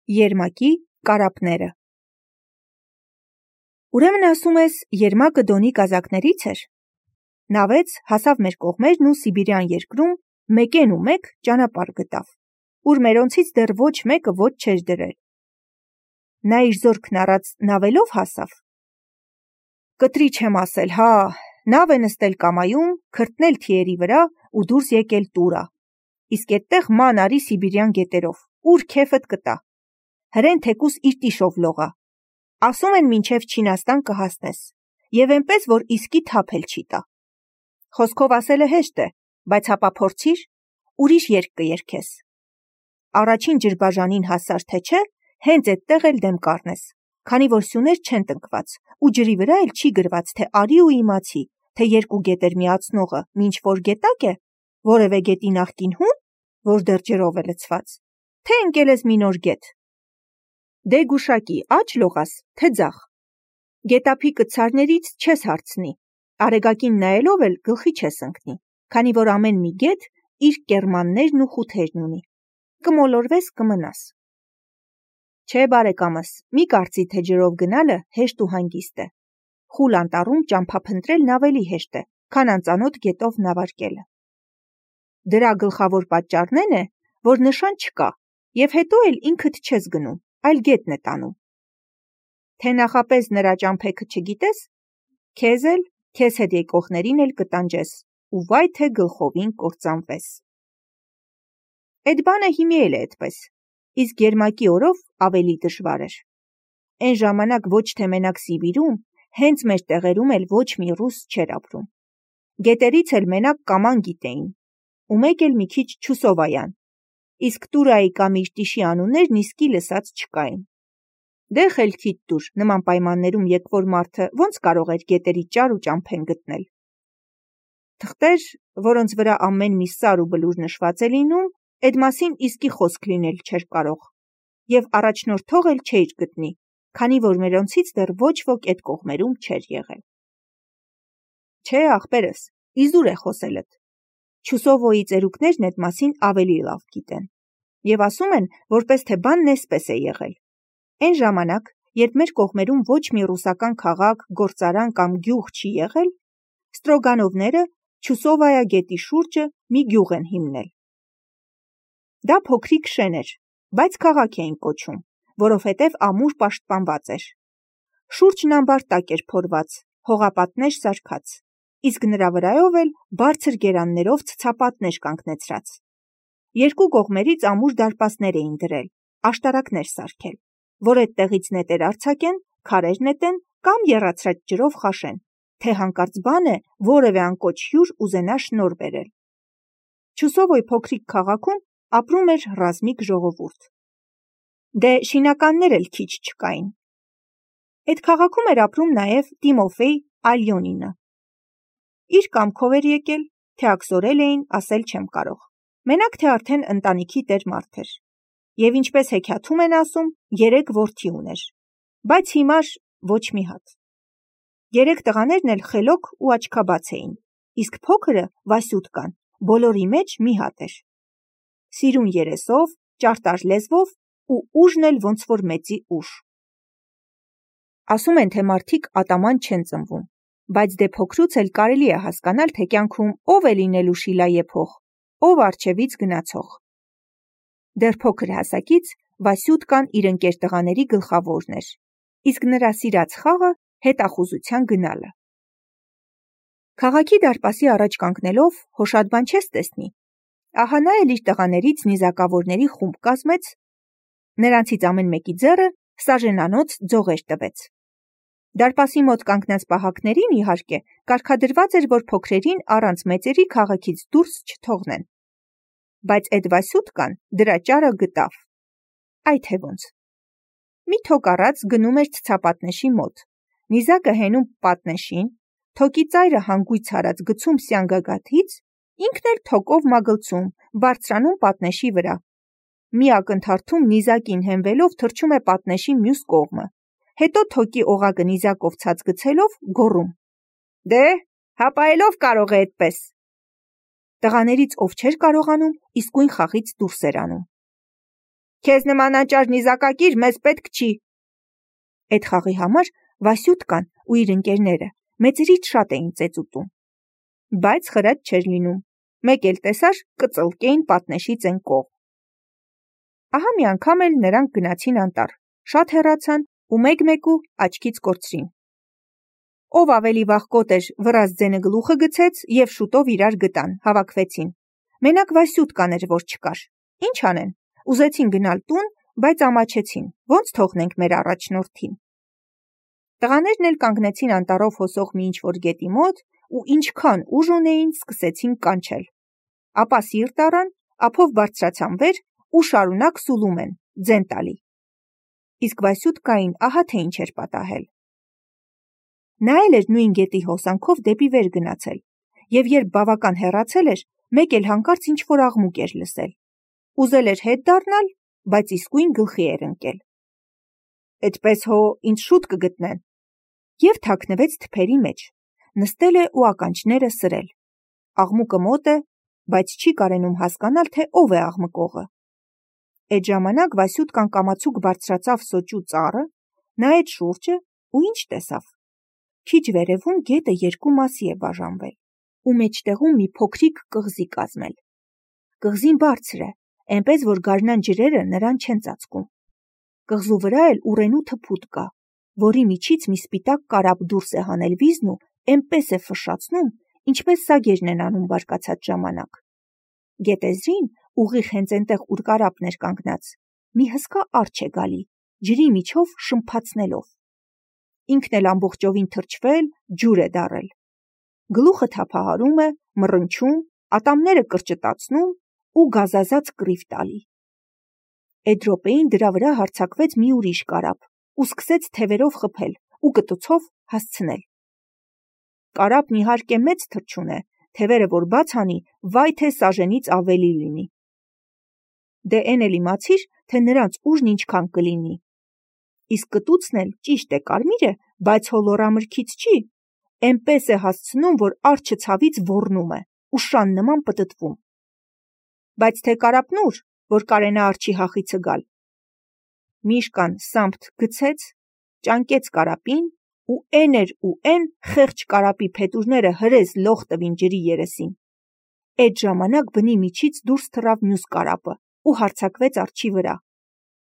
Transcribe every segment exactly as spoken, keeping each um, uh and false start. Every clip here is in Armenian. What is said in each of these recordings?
Երմակի կարապները։ Ուրեմն ասում ես, Երմակը Դոնի կազակներից էր։ Նավեց, հասավ մեր կողմերն ու Սիբիրյան երկրում մեկեն ու մեկ ճանապարհ գտավ, ուր մերոնցից դեռ ոչ մեկը ոչ չէր դրել։ Նա իր զորքն առած նավելով հասավ։ Կտրի չեմ ասել, հա, նավ է նստել կամայում, քրտնել թիերի վրա ու դուրս եկել Տուրա։ Իսկ այդտեղ ման արի Սիբիրյան գետերով, ուր քեֆդ կտա։ Հրեն թեկուս իր տիշով լողա։ Ասում են մինչև Չինաստան կհասնես, եւ այնպես որ իսկի թափ էլ չի տա։ Խոսքով ասելը հեշտ է, բայց հապա փորձիր, ուրիշ երգ կերգես։ Առաջին ջրբաժանին հասար թե չէ, հենց այդտեղ էլ դեմ կառնես, քանի որ սյուներ չեն տնկված, ու ջրի վրա էլ չի գրված, թե արի ու իմացի, թե երկու գետեր միացնողը մինչ որ գետակ է, որևէ գետի նախկին հուն, որ դեռ ջրով է լցված, թե ընկել ես մի նոր գետ։ Դե գուշակի, աջ լողաս, թե ձախ։ Գետափի կցարներից չես հարցնի, արեգակին նայելով էլ գլխի չես ընկնի, քանի որ ամեն մի գետ իր կեռմաններն ու խութերն ունի։ Կմոլորվես կմնաս։ Չէ, բարեկամս, մի կարծի, թե ջրով գնալը հեշտ ու հանգիստ է։ Խուլ անտառում ճամփա փնտրելն ավելի հեշտ է, քան անծանոթ գետով նավարկելը։ Դրա գլխավոր պատճառն է, որ նշան չկա, եւ հետո էլ ինքդ չես գնում, այլ գետն է տանում։ Թե նախապես նրա ճամփեքը չգիտես, քեզ էլ, քեզ հետ եկողներին էլ կտանջես, ու վայ թե գլխովին կործանվես։ Այդ բանը հիմի էլ է այդպես, իսկ Երմակի օրով ավելի դժվար էր։ Այն ժամանակ ոչ թե մենակ Սիբիրում, հենց մեր տեղերում էլ ոչ մի ռուս չէր ապրում։ Գետերից էլ մենակ կաման գիտեին, ու մեկ էլ մի քիչ Չուսովայան, իսկ Տուրայի կամ իր տիշի անուններն իսկի լսած չկային։ Դե խելքիդ տուր, նման պայմաններում եկվոր մարդը ոնց կարող էր գետերի ճար ու ճամփեն գտնել։ Թղթեր, որոնց վրա ամեն մի սար ու բլուր նշված է լինում, այդ մասին իսկի խոսք լինել չէր կարող, եւ առաջնորդող էլ չէր գտնի, քանի որ մերոնցից դեռ ոչ ոք այդ կողմերում չէր եղել։ Չէ, ախպերս, իզուր է խոսելդ։ Չուսովոյի ծերուկներն այդ մասին ավելի լավ գիտեն, եւ ասում են, որպես թե բանն էսպես է եղել։ Այն ժամանակ, երբ մեր կողմերում ոչ մի ռուսական քաղաք, գործարան կամ գյուղ չի եղել, Ստրոգանովները Չուսովայա գետի շուրջը մի գյուղ են հիմնել։ Դա փոքրիկ շեն էր, բայց քաղաք էին կոչում, որովհետև ամուր պաշտպանված էր։ Շուրջն ամբարտակ էր փորված, հողապատներ սարքած, իսկ նրա վրայով էլ բարձր գերաններով ցցապատներ կանգնեցրած։ Երկու կողմերից ամուր դարպասներ էին դրել, աշտարակներ սարքել, որ այդտեղից նետեր արձակեն, քարեր նետեն կամ եռացրած ջրով խաշեն, թե հանկարծ բան է որևէ անկոչ հյուր ուզենա շնոր բերել։ Չուսովոյ փոքրիկ քաղաքում ապրում էր ռազմիկ ժողովուրդ։ Դե շինականներ էլ քիչ չկային։ Այդ քաղաքում էր ապրում նաև Տիմոֆեյ Ալյոնինը։ Իր կամքով էր եկել, թե աքսորել էին, ասել չեմ կարող։ Մենակ թե արդեն ընտանիքի տեր մարդ էր։ Եվ ինչպես հեքիաթում են ասում, երեք որդի ուներ, բայց հիմար ոչ մի հատ։ Երեք տղաներն էլ խելոք ու աչքաբաց էին, իսկ փոքրը Վասյուտկան բոլորի մեջ մի հատ էր։ Սիրուն երեսով, ճարտար լեզվով ու ուժն էլ ոնց որ մեծի ուժ։ Ասում են, թե մարդիկ ատաման չեն ծնվում, բայց դե փոքրուց էլ կարելի է հասկանալ, թե կյանքում ով է լինելու շիլա եփող, ով արջևից գնացող։ Դեռ փոքր հասակից Վասյուտկան իր ընկեր տղաների գլխավորն էր, իսկ նրա սիրած խաղը հետախուզության գնալը։ Քաղաքի դարպասի առաջ կանգնելով հոշատ բան չես տեսնի։ Ահա նա էլ իր տղաներից նիզակավորների խումբ կազմեց, նրանցից ամեն մեկի ձեռը սաժենանոց ձողեր տվեց։ Դարպասի մոտ կանգնած պահակներին, իհարկե, կարգադրված էր, որ փոքրերին առանց մեծերի քաղաքից դուրս չթողնեն։ Բայց այդ Վասյուտկան դրա ճարը գտավ։ Այ թե ոնց։ Մի թոք առած գնում էր ցցապատնեշի մոտ, նիզակը հենում պատնեշին, թոկի ծայրը հանգույց հարած գցում սյանգագաթից, ինքն էլ թոկով մագլցում, բարձրանում պատնեշի վրա։ Մի ակնթարթում նիզակին հենվելով թռչում է պատնեշի մյուս կողմը, հետո թոկի օղակը նիզակով ցած գցելով գոռում. Դե, հապայելով կարող է այդպես։ Տղաներից ով չէր կարողանում, իսկույն խաղից դուրս էր անում։ Քեզ նման անճար նիզակակիր մեզ պետք չի։ Այդ խաղի համար Վասյուտկան ու իր ընկերները մեծերից շատ էին ծեծուտում։ Բայց խրատ չէր լինում։ Մեկ էլ տեսար կծլկեին պատնեշից են կողմ։ Ահա մի անգամ էլ նրանք գնացին անտառ, շատ հեռացան ու մեկ-մեկու աչքից կորցրին։ Ով ավելի վաղ կոտ էր, վրաս ձենը գլուխը գցեց և շուտով իրար գտան, հավաքվեցին։ Մենակ Վասյուտկան էր, որ չկար։ Ինչ անեն, ուզեցին գնալ տուն, բայց ամաչեցին, ոնց թողնենք մեր առաջնորդին։ Տղաներն էլ կանգնեցին անտառով հոսող մի ինչ-որ գետի մոտ ու ինչքան ուժ ունեին, սկսեցին կանչել։ Ապա սիրտ առան, ափով բարձրացան վեր ու շարունակ սուլում են, ձեն տալի։ Իսկ Վասյուտկային ահա թե ինչ էր պատահել։ Նա էլ էր նույն գետի հոսանքով դեպի վեր գնացել, և երբ բավական հեռացել էր, մեկ էլ հանկարծ ինչ-որ աղմուկ էր լսել։ Ուզել էր հետ դառնալ, բայց իսկույն գլխի էր ընկել։ Էդպես հո ինձ շուտ կգտնեն։ Եվ թաքնվեց թփերի մեջ, նստել է ու ականջները սրել։ Աղմուկը մոտ է, բայց չի կարենում հասկանալ, թե ով է աղմկողը։ Այդ ժամանակ Վասյուտկան կամացուկ բարձրացավ սոճու ծառը, նայեց շուրջը ու ինչ տեսավ։ Քիչ վերևում գետը երկու մասի է բաժանվել, ու մեջտեղում մի փոքրիկ կղզի կազմել։ Կղզին բարձր է, այնպես որ գարնան ջրերը նրան չեն ծածկում։ Կղզու վրա էլ ուռենու թփուտ կա, որի միջից մի սպիտակ կարապ դուրս է հանել վիզն ու այնպես է ֆշշացնում, ինչպես սագերն են անում բարկացած ժամանակ։ Գետեզրին, ուղիղ հենց այնտեղ, ուր կարապն էր կանգնած, մի հսկա արջ է գալի, ջրի միջով շմփացնելով։ Ինքն էլ ամբողջովին թրջվել, ջուր է դառել։ Գլուխը թափահարում է, մռնչում, ատամները կրճտացնում ու գազազած կռիվ տալի։ Այդ րոպեին դրա վրա հարձակվեց մի ուրիշ կարապ ու սկսեց թևերով խփել ու կտուցով հասցնել։ Կարապն իհարկե մեծ թռչուն է, թևերը որ բաց անի, վայ թե սաժենից ավելի լինի։ Դե էն էլ իմացիր, թե նրանց ուժն ինչքան կլինի։ Իսկ կտուցն էլ ճիշտ է կարմիր է, բայց հոլորամրգից չի, էնպես է հասցնում, որ արջը ցավից ոռնում է ու շան նման պտտվում։ Բայց թե կարապն ուր, որ կարենա արջի հախիցը գալ։ Միշկան սամփթ գցեց, ճանկեց կարապին ու էն էր ու էն խեղճ կարապի փետուրները հրես լող տվին ջրի երեսին։ Այդ ժամանակ բնի միջից դուրս թռավ մյուս կարապը ու հարձակվեց արջի վրա։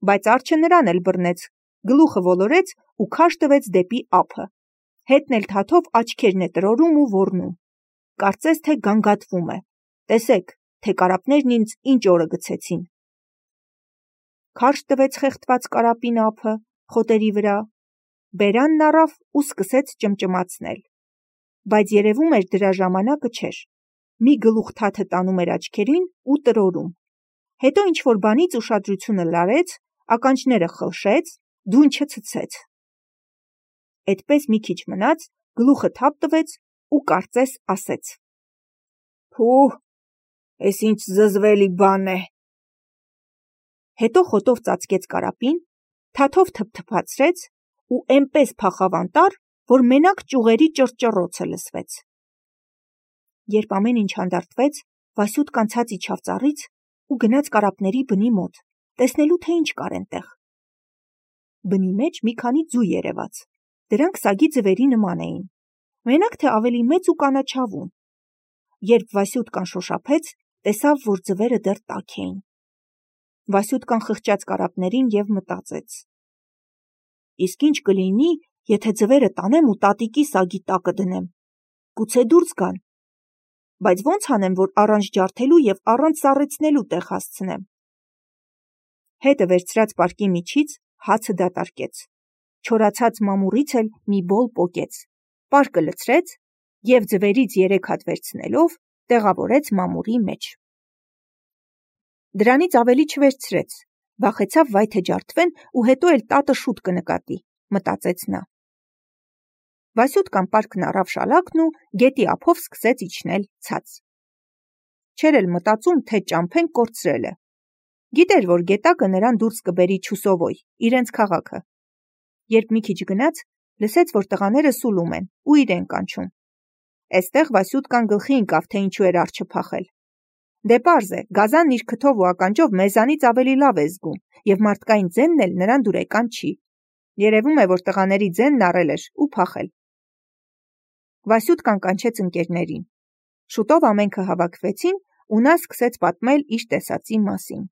Բայց արջը նրան էլ բռնեց, գլուխը ոլորեց ու քաշ տվեց դեպի ափը։ Հետն էլ թաթով աչքերն է տրորում ու ոռնում։ Կարծես թե գանգատվում է։ Տեսեք, թե կարապներն ինձ ինչ օրը գցեցին։ Քարշ տվեց խեղդված կարապին ափը, խոտերի վրա, բերանն առավ ու սկսեց ճմճմացնել։ Բայց երևում էր դրա ժամանակը չէր։ Մի գլուխ թաթը տանում էր աչքերին ու տրորում։ Հետո ինչ-որ բանից ուշադրությունը լարեց, ականջները խլշեց, դունչը ցցեց։ Այդպես մի քիչ մնաց, գլուխը թափ տվեց ու կարծես ասեց. «Փուհ, էս ինչ զզվելի բան է»։ Հետո խոտով ծածկեց կարապին, թաթով թփթփացրեց ու էնպես փախավ անտառ, որ մենակ ճյուղերի ճռճռոցը լսվեց։ Երբ ամեն ինչ հանդարտվեց, Վասյուտկան ցած իջավ ծառից ու գնաց կարապների բնի մոտ, տեսնելու թե ինչ կար այնտեղ։ Բնի մեջ մի քանի ձու երևաց։ Դրանք սագի ձվերի նման էին, մենակ թե ավելի մեծ ու կանաչավուն։ Երբ Վասյուտկան շոշափեց, տեսավ, որ ձվերը դեռ տաք էին։ Վասյուտկան խղճաց կարապներին և մտածեց. «Իսկ ինչ կլինի, եթե ձվերը տանեմ ու տատիկի սագի տակը դնեմ։ Գուցե դուրս գան։ Բայց ո՞նց անեմ, որ առանց ջարդելու և առանց սառեցնելու տեղ հասցնեմ»։ Հետը վերցրած պարկի միջից հացը դատարկեց, չորացած մամուռից էլ մի բոլ պոկեց, պարկը լցրեց և ձվերից երեք հատ վերցնելով տեղավորեց մամուռի մեջ։ Դրանից ավելի չվերցրեց, վախեցավ վայ թե ջարդվեն ու հետո էլ տատը շուտ կնկատի, մտածեց նա։ Վասյուտկան պարկն առավ շալակն ու գետի ափով սկսեց իջնել ցած։ Չէր էլ մտածում, թե ճամփեն կորցրել է։ Գիտեր, որ գետակը նրան դուրս կբերի Չուսովոյ, իրենց քաղաքը։ Երբ մի քիչ գնաց, լսեց, որ տղաները սուլում են ու իրեն կանչում։ Էստեղ Վասյուտկան գլխի ընկավ, թե ինչու էր արջը փախել։ Դե պարզ է, գազանն իր քթով ու ականջով մեզանից ավելի լավ է զգում, և մարդկային ձենն էլ նրան դուրեկան չի։ Երևում է, որ տղաների ձենն առել էր ու փախել։ Վասյուտկան կանչեց ընկերներին։ Շուտով ամենքը հավաքվեցին ու նա սկսեց պատմել իր տեսածի մասին։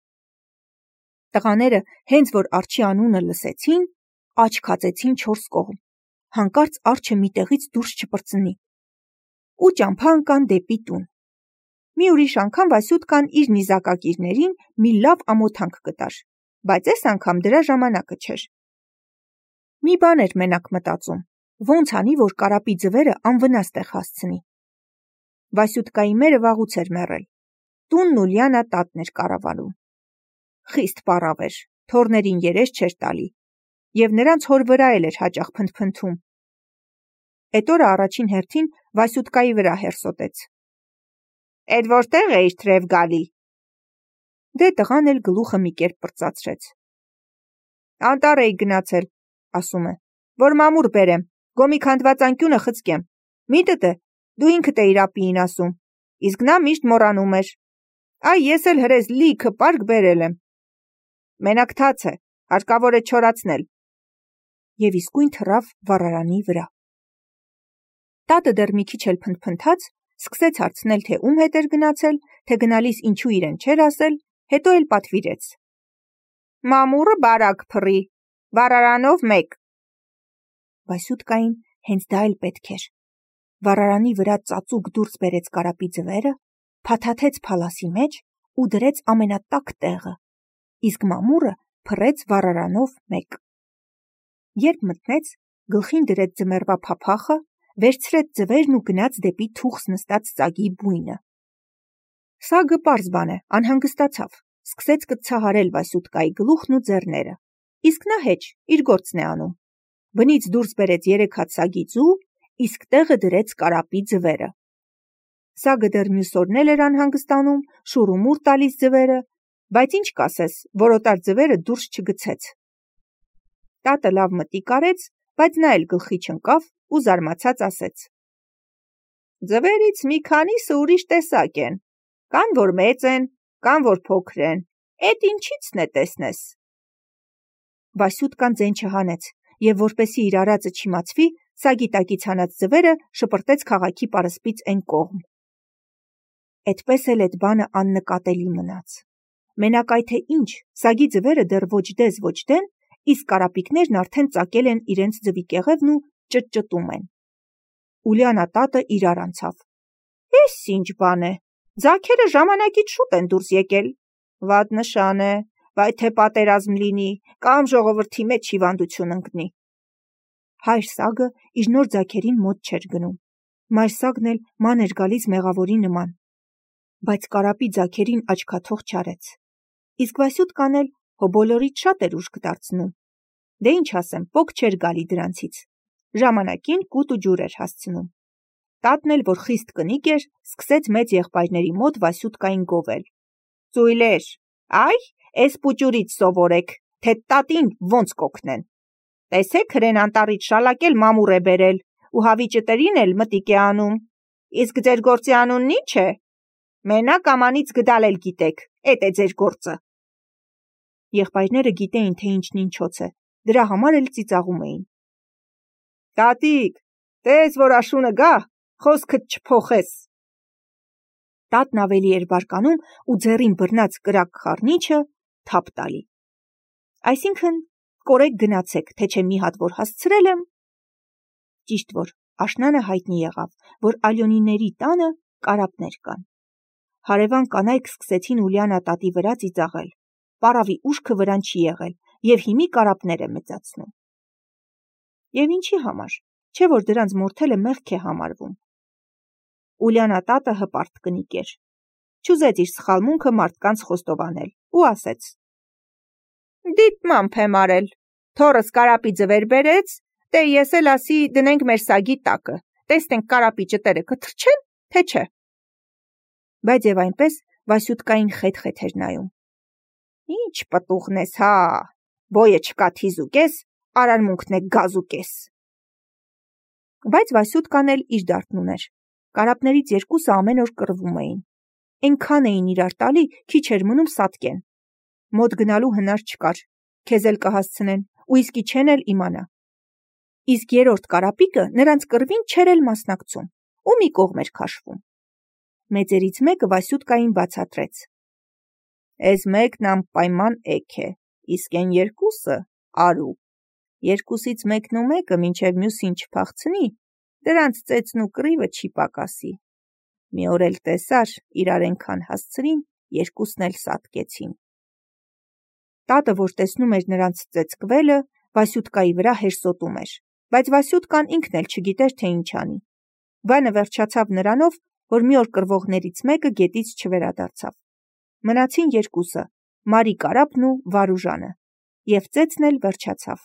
Տղաները, հենց որ արջի անունը լսեցին, աչք հացեցին չորս կողմ, հանկարծ արջը մի տեղից դուրս չպրծնի ու ճամփա ընկան դեպի տուն։ Մի ուրիշ անգամ Վասյուտկան իր նիզակակիրներին մի լավ ամոթանք կտար, բայց այս անգամ դրա ժամանակը չէր։ Մի բան էր մենակ մտածում, ոնց անի, որ կարապի ձվերը անվնաս տեղ հասցնի։ Վասյուտկայի մերը վաղուց էր մեռել, տունն Ուլիանա տատն էր կառավարում։ Խիստ պառավ էր, թոռներին երես չէր տալի, և նրանց հոր վրա էլ էր հաճախ փնթփնթում։ Էդ օրը առաջին հերթին Վասյուտկայի վրա հերսոտեց։ Էդ որտեղ էիր թրև գալի։ Դե տղան էլ գլուխը մի կերպ պրծացրեց։ Անտառ էի գնացել, ասում է, որ մամուռ բերեմ, գոմի քանդված անկյունը խցկեմ։ Միտդ է, դու ինքդ էիր ապիին ասում, իսկ նա միշտ մոռանում էր։ Այ ես էլ հրեզ լիքը պարկ բերել եմ։ Մենակ թաց է, հարկավոր է չորացնել։ Եվ իսկույն թռավ վառարանի վրա։ Տատը դեռ մի քիչ էլ փնթփնթաց, սկսեց հարցնել, թե ում հետ էր գնացել, թե գնալիս ինչու իրեն չէր ասել, հետո էլ պատվիրեց։ Մամուռը բարակ փռի, վառարանով մեկ։ Վասյուտկային հենց դա էլ պետք էր։ Վառարանի վրա ծածուկ դուրս բերեց կարապի ձվերը, փաթաթեց փալասի մեջ ու դրեց ամենատաք տեղը, իսկ մամուռը փռեց վառարանով մեկ։ Երբ մտնեց, գլխին դրեց ձմեռվա փափախը, վերցրեց ձվերն ու գնաց դեպի թուխս նստած ծագի բույնը։ Սագը պարզ բան է, անհանգստացավ, սկսեց կծցահարել Վասյուտկայի գլուխն ու ձեռները, իսկ նա հեչ, իր գործն է անում։ Բնից դուրս բերեց երեք հատ սագի ձու, իսկ տեղը դրեց կարապի ձվերը։ Սագը դեռ մյուս օրն էլ էր անհանգստանում, շուռումուռ տալիս ձվերը, բայց ինչ կասես, որոտար ձվերը դուրս չգցեց։ Տատը լավ մտիկ արեց, բայց նա էլ գլխի չընկավ ու զարմացած ասեց. Ձվերից մի քանիսը ուրիշ տեսակ են, կան որ մեծ են, կան որ փոքր են, էդ ինչիցն է տեսնես։ Վասյուտկան ձեն չհանեց, և որպեսի իր արածը չիմացվի, սագի տակից հանած ձվերը շպրտեց քաղաքի պարսպից էն կողմ։ Էդպես էլ էդ բանը աննկատելի մնաց։ Մենակ այ թե ինչ, սագի ձվերը դեռ ոչ դես ոչ դեն, իսկ կարապիկներն արդեն ծակել են իրենց ձվի կեղևն ու ճտճտում են։ Ուլիանա տատը իրար անցավ։ Էս ինչ բան է, ձագերը ժամանակից շուտ են դուրս եկել։ Վատ նշան է, վայ թե պատերազմ լինի, կամ ժողովրդի մեջ հիվանդություն ընկնի։ Հայր սագը իր նոր ձագերին մոտ չէր գնում։ Մայր սագն էլ ման էր գալիս մեղավորի նման։ Բայց կարապի ձագերին աչքաթող չարեց։ Իսկ Վասյուտկան էլ հո բոլորից շատ էր ուժք դարձնում։ Դե ինչ ասեմ, պոկ չէր գալի դրանցից։ Ժամանակին կուտ ու ջուր էր հասցնում։ Տատն էլ, որ խիստ կնիկ էր, սկսեց մեծ եղբայրների մոտ Վասյուտկային գովել։ Ծույլեր, այ, էս պուճուրից սովորեք, թե տատին ոնց կօգնեն։ Տեսեք հրեն անտառից շալակել մամուռ է բերել ու հավիճտերին էլ մտիկ է անում։ Իսկ ձեր գործի անունն ի՞նչ է։ Մենակ ամանից գդալ էլ գիտեք, էդ է ձեր գործը։ Եղբայրները գիտեին, թե ինչն ինչոց է, դրա համար էլ ծիծաղում էին։ Տատիկ, տես որ աշունը գա, խոսքդ չփոխես։ Տատն ավելի էր բարկանում ու ձեռին բռնած կրակ խառնիչը թափ տալի։ Այսինքն, կորեք գնացեք, թե չէ մի հատ որ հասցրել եմ։ Ճիշտ որ աշնանը հայտնի եղավ, որ Ալյոնիների տանը կարապներ կան։ Հարևան կանայք սկսեցին Ուլիանա տատի վրա ծիծաղել։ Պառավի ուշքը վրան չի եղել, և հիմի կարապներ է մեծացնում։ Եվ ինչի համար, չէ որ դրանց մորթելը մեղք է համարվում։ Ուլիանա տատը հպարտ կնիկ էր։ Չուզեց իր սխալմունքը մարդկանց խոստովանել ու ասեց. Դիտմամբ եմ արել, թոռս կարապի ձվեր բերեց, դե ես էլ ասի դնենք մեր սագի տակը, տեսնենք կարապի ճտերը կթրջեն, թե չէ։ Բայց և այնպես Վասյուտկային խետ-խետ էր նայում։ Ինչ պտուղն ես, հա, բոյը չկա թիզուկես, արարմունքն է գազուկես։ Բայց Վասյուտկան էլ իր դարդն ուներ։ Կարապներից երկուսը ամեն օր կռվում էին։ այնքան էին իրար տալի, քիչ էր մնում սատկեն։ Մոտ գնալու հնար չկար, քեզ էլ կհասցնեն, ու իսկի չեն էլ իմանա։ Իսկ երրորդ կարապիկը նրանց կռվին չէր էլ մասնակցում, ու մի կողմ էր քաշվում։ Մեծերից մեկը Վասյուտկային բացատրեց. «Էս մեկն անպայման էգ է, իսկ են երկուսը արու։ Երկուսից մեկն ու մեկը մինչև մյուսին չփախցնի, դրանց ծեծն ու կռիվը չի պակասի։ Մի օր էլ տեսար, իրար էնքան հասցրին, երկուսն էլ սատկեցին»։ Տատը, որ տեսնում էր նրանց ծեծկվելը, Վասյուտկայի վրա հերսոտում էր, բայց Վասյուտկան ինքն էլ չգիտեր, թե ինչ անի։ Բանը վերջացավ նրանով, որ մի օր կռվողներից մեկը գետից չվերադարձավ։ Մնացին երկուսը՝ Մարի կարապն ու Վարուժանը, և ծեծն էլ վերջացավ։